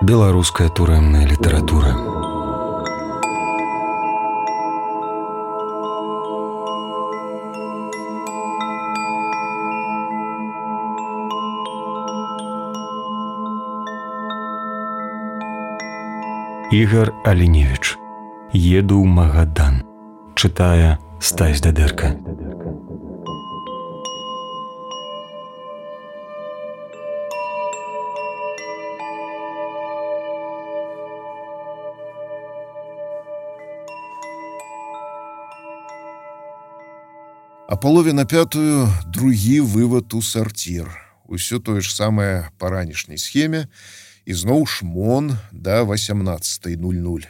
Беларуская турэмная літаратура. Ігар Аліневіч. Еду ў Магадан. Чытае Стась Дадэрка. А полове на 5 другі вывад у сарцір. Усё тое ж самае па ранішняй схеме. І зноў шмон да 18:00.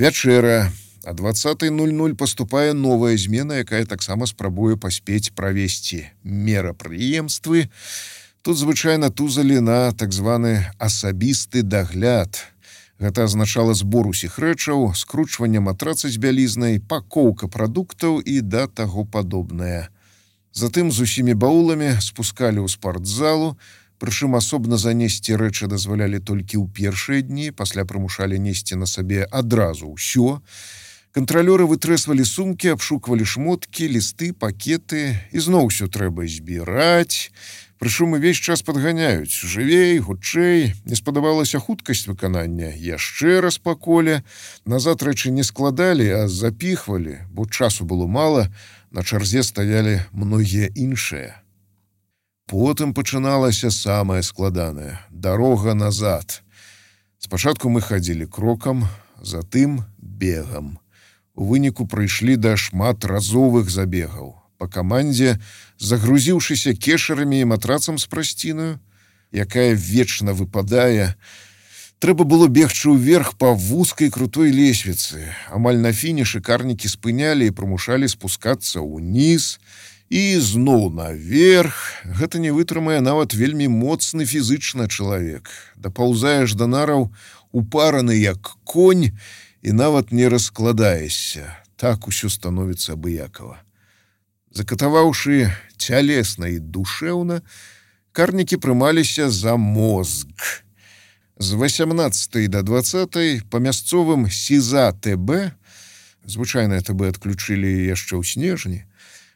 Вячэра. А 20:00 паступае новая змена, якая таксама спрабуе паспець правесці мерапрыемствы. Тут звычайна тузалі на так званы асабісты дагляд. Гэта азначала збор усіх рэчаў, скручванне матраца з бялізнай, пакоўка прадуктаў і да таго падобнае. Затым з усімі бауламі спускалі ў спартзалу, прычым асобна занесці рэчы дазвалялі толькі ў першыя дні, пасля прымушалі несці на сабе адразу ўсё. Кантралёры вытрэсвалі сумкі, абшуквалі шмоткі, лісты, пакеты, і зноў усё трэба збіраць. Прычым увесь час падганяюць. Жывей, хутчэй, не спадабалася хуткасць выканання. Яшчэ раз па коле. Назад рэчы не складалі, а запіхвалі, бо часу было мала, на чарзе стаялі многія іншыя. Потым пачыналася самае складанае – дарога назад. Спачатку мы хадзілі крокам, затым бегам. У выніку прыйшлі да шматразовых забегаў. Па камандзе, загрузіўшыся кешарамі і матрацам з прасцінаю, якая вечна выпадае, трэба было бегчы ўверх па вузкай крутой лесвіцы. Амаль на фінішы карнікі спынялі і прымушалі спускацца ўніз, і зноў наверх. Гэта не вытрымае нават вельмі моцны фізычна чалавек. Дапаўзаеш да нараў, упараны як конь, і нават не раскладаешся. Так усё становіцца абыякава. Закатаваўшы цялесна і душэўна, карнікі прымаліся за мозг. З 18 да 20 па мясцовым СІЗА ТБ, звычайнае ТБ адключылі яшчэ ў снежні,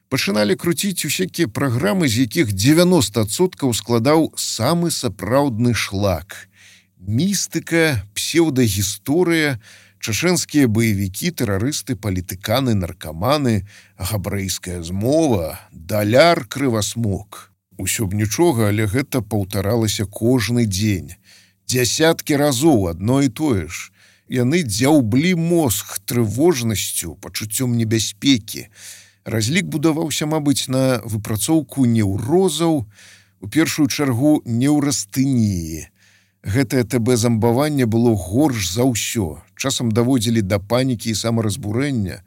пачыналі круціць усякія праграмы, з якіх 90% складаў самы сапраўдны шлак. Містыка, псеўдагісторыя, чачэнскія баевікі, тэрарысты, палітыканы, наркаманы, габрэйская змова, даляр крывасмок. Усё б нічога, але гэта паўтаралася кожны дзень. Дзясяткі разоў адно і тое ж. Яны дзяўблі мозг трывожнасцю, пачуццём небяспекі. Разлік будаваўся, мабыць, на выпрацоўку неўрозаў, у першую чаргу неўрастыніі. Гэтае ТБ-замбаванне было горш за ўсё. Часам даводзілі да панікі і самаразбурэння.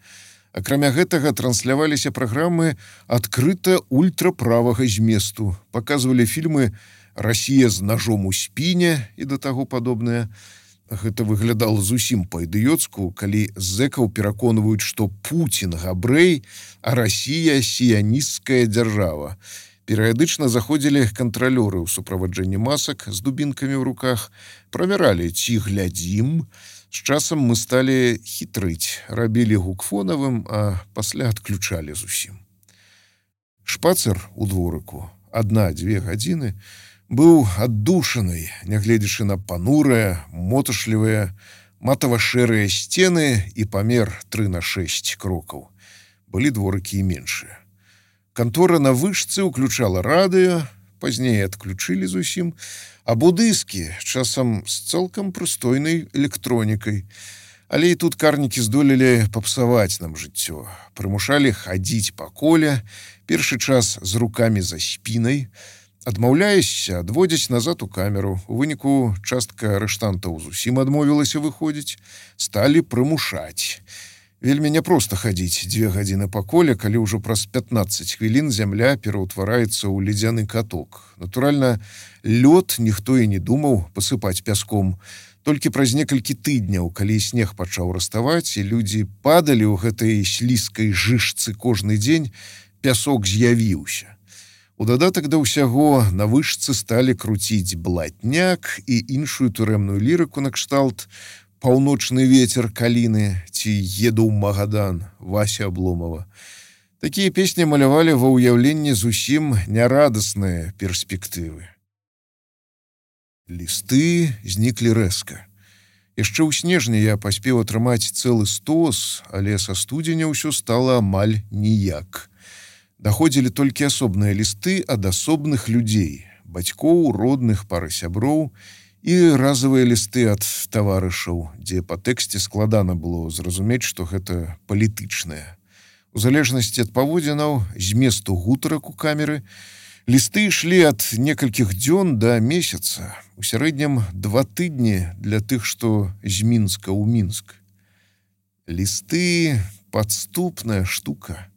Акрамя гэтага трансляваліся праграмы адкрыта ультраправага зместу. Паказвалі фільмы «Расія з ножом у спіне» і да таго падобнае. Гэта выглядала зусім па-ідыёцку, калі зэкаў пераконваюць, што Пуцін габрэй, а Расія сіянісцкая дзяржава. Перыядычна заходзілі кантралёры ў суправаджэнні масак з дубінкамі ў руках, правяралі, ці глядзім. З часам мы сталі хітрыць, рабілі гук фонавым, а пасля адключалі зусім. Шпацыр у дворыку, 1-2 гадзіны, быў аддушанай, нягледзячы на панурыя, моташлівыя, матава-шэрыя сцены і памер 3/6 крокаў. Былі дворыкі і меншыя. Кантора на вышцы ўключала радыё, пазней адключылі зусім, або дыскі, часам з цалкам прыстойнай электронікай. Але і тут карнікі здолелі папсаваць нам жыццё. Прымушалі хадзіць па коле, першы час з рукамі за спінай. Адмаўляешся, адводзяць назад у камеру. У выніку частка арыштантаў зусім адмовілася выходзіць. Сталі прымушаць. Вельмі няпроста хадзіць 2 гадзіны па коле, калі ўжо праз 15 хвілін зямля пераўтвараецца ў ледзяны каток. Натуральна, лёд ніхто і не думаў пасыпаць пяском. Толькі праз некалькі тыдняў, калі снег пачаў раставаць, і людзі падалі ў гэтай слізкай жышцы кожны дзень, пясок з'явіўся. У дадатак да ўсяго на вышцы сталі круціць блатняк і іншую турэмную лірыку накшталт «Паўночны вецер каліны» ці «Еду ў Магадан» Вася Абломова. Такія песні малявалі ва ўяўленні зусім нярадасныя перспектывы. Лісты зніклі рэзка. Яшчэ ў снежні я паспеў атрымаць цэлы стос, але са студзеня ўсё стала амаль ніяк. Даходзілі толькі асобныя лісты ад асобных людзей, бацькоў, родных, пары сяброў і разавыя лісты ад таварышаў, дзе па тэксце складана было зразумець, што гэта палітычнае. У залежнасці ад паводзінаў, зместу гутарак у камеры, лісты ішлі ад некалькіх дзён да месяца, у сярэднім 2 тыдні для тых, што з Мінска ў Мінск. Лісты – падступная штука.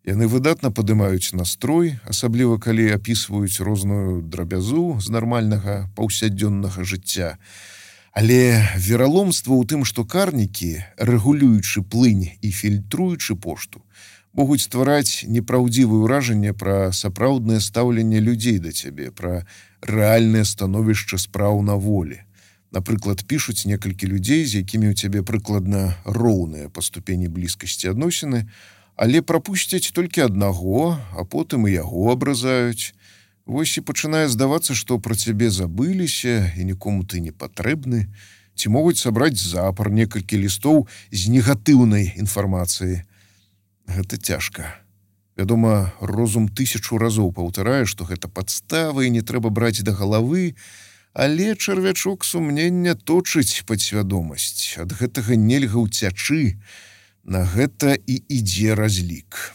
Яны выдатна падымаюць настрой, асабліва калі апісваюць розную драбязу з нармальнага паўсядзённага жыцця. Але вераломства ў тым, што карнікі, рэгулюючы плынь і фільтруючы пошту, могуць ствараць непраўдзівае ўражанне пра сапраўднае стаўленне людзей да цябе, пра рэальнае становішча спраў на волі. Напрыклад, пішуць некалькі людзей, з якімі ў цябе прыкладна роўныя па ступені блізкасці адносіны, але прапусцяць толькі аднаго, а потым і яго абразаюць. Вось і пачынае здавацца, што пра цябе забыліся і нікому ты не патрэбны, ці могуць сабраць запар некалькі лістоў з негатыўнай інфармацыяй. Гэта цяжка. Вядома, розум 1000 разоў паўтарае, што гэта падстава і не трэба браць да галавы, але чарвячок сумнення точыць падсвядомасць. Ад гэтага нельга ўцячы. На гэта і ідзе разлік.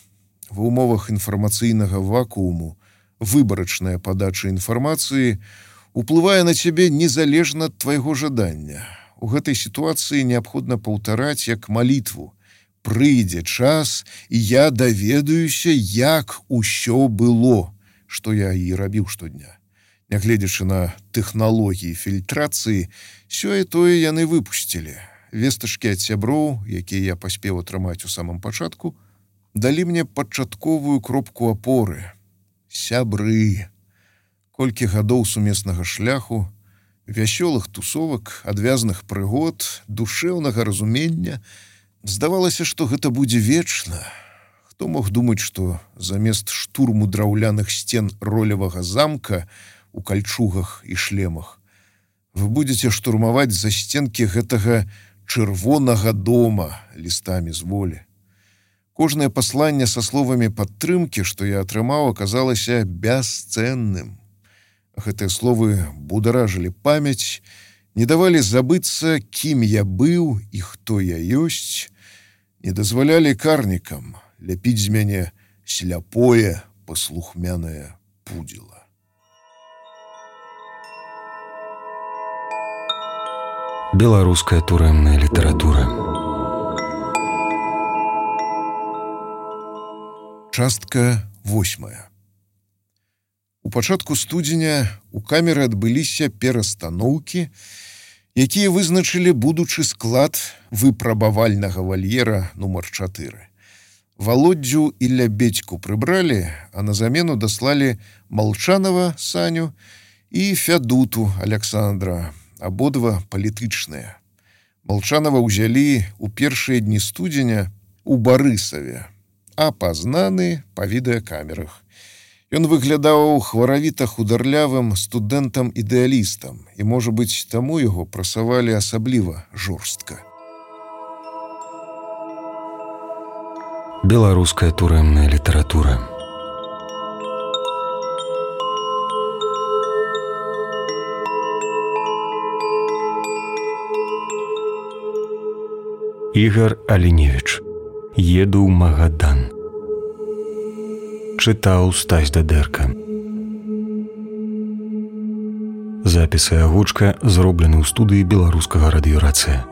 Ва ўмовах інфармацыйнага вакууму выбарачная падача інфармацыі уплывае на цябе незалежна ад твайго жадання. У гэтай сітуацыі неабходна паўтараць як малітву. Прыйдзе час, і я даведаюся, як усё было, што я і рабіў штодня. Нягледзячы на тэхналогіі фільтрацыі, сёе-тое яны выпусцілі. Вестачкі ад сяброў, якія я паспеў атрымаць у самым пачатку, далі мне пачатковую кропку апоры. Сябры. Колькі гадоў сумеснага шляху, вясёлых тусовак, адвязных прыгод, душэўнага разумення. Здавалася, што гэта будзе вечна. Хто мог думаць, што замест штурму драўляных сцен ролевага замка у кальчугах і шлемах вы будзеце штурмаваць засценкі гэтага чырвонага дома лістамі з волі. Кожнае пасланне са словамі падтрымкі, што я атрымаў, аказалася бясцэнным. Гэтыя словы бударажылі памяць, не давалі забыцца, кім я быў і хто я ёсць, не дазвалялі карнікам ляпіць з мяне сляпое, паслухмянае пудзіла. Беларуская турэмная літаратура. Частка 8. У пачатку студзеня у камеры адбыліся перастаноўкі, якія вызначылі будучы склад выпрабавальнага вальера нумар 4. Володдзю і Лябедзьку прыбралі, а на замену даслалі Малчанова Саню і Фядуту Александра, абодва палітычныя. Малчанова ўзялі ў першыя дні студзеня у Барысаве, апазнаны па відэакамерах. Ён выглядаў хваравіта-хударлявым студэнтам-ідэалістам, і, можа быць, таму яго прасавалі асабліва жорстка. Беларуская турэмная літаратура. Ігар Аліневіч. «Еду ў Магадан». Чытаў Стась Дадэрка. Запіс і агучка зроблены ў студыі беларускага радыёрацыя.